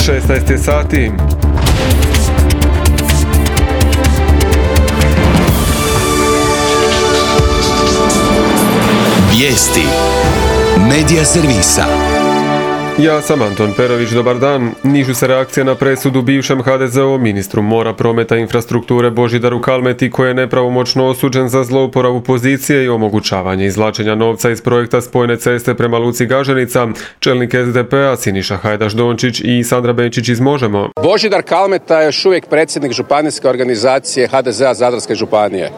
16 je sati. Vijesti Medija servisa. Ja sam Anton Perović, dobar dan. Nižu se reakcija na presudu bivšem HDZ-ovom ministru mora, prometa i infrastrukture Božidaru Kalmeti, koji je nepravomoćno osuđen za zlouporabu pozicije i omogućavanje izvlačenja novca iz projekta spojne ceste prema luci Gaženica. Čelnik SDP-a Siniša Hajdaš Dončić i Sandra Benčić iz Možemo. Božidar Kalmeta je još uvijek predsjednik županijske organizacije HDZ-a Zadarske županije.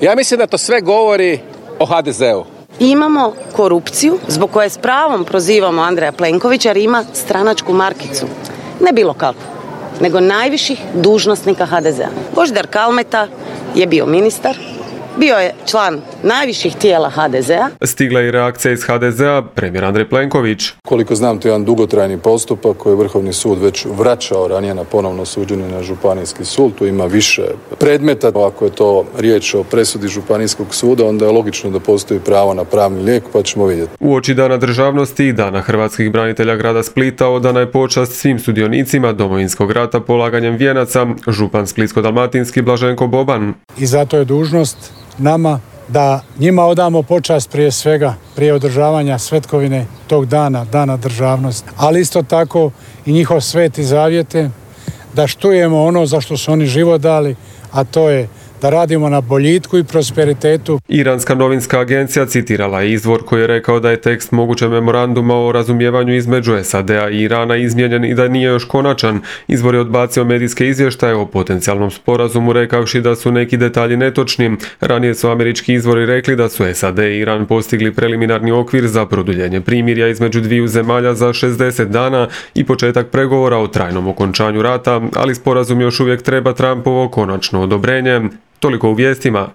Ja mislim da to sve govori o HDZ-u. Imamo korupciju zbog koje s pravom prozivamo Andreja Plenkovića jer ima stranačku markicu. Ne bilo kakvu, nego najviših dužnosnika HDZ-a. Božidar Kalmeta je bio ministar, bio je član najviših tijela HDZ-a. Stigla je i reakcija iz HDZ-a, premijer Andrej Plenković. Koliko znam, to je jedan dugotrajni postupak koji je Vrhovni sud već vraćao ranije na ponovno suđenje na Županijski sud. Tu ima više predmeta. Ako je to riječ o presudi Županijskog suda, onda je logično da postoji pravo na pravni lijek, pa ćemo vidjeti. Uoči Dana državnosti i Dana hrvatskih branitelja grada Splita odana je počast svim sudionicima Domovinskog rata polaganjem vijenaca, župan splitsko-dalmatinski Blaženko Boban. I zato je dužnost nama da njima odamo počast prije svega, prije održavanja svetkovine tog dana, Dana državnosti, ali isto tako i njihov sveti zavjete, da štujemo ono za što su oni život dali, a to je da radimo na boljitku i prosperitetu. Iranska novinska agencija citirala je izvor koji je rekao da je tekst mogućeg memoranduma o razumijevanju između SAD-a i Irana izmijenjen i da nije još konačan. Izvor je odbacio medijske izvještaje o potencijalnom sporazumu rekavši da su neki detalji netočni. Ranije su američki izvori rekli da su SAD i Iran postigli preliminarni okvir za produljenje primirja između dviju zemalja za 60 dana i početak pregovora o trajnom okončanju rata, ali sporazum još uvijek treba Trumpovo konačno odobrenje. Toliko u vijestima.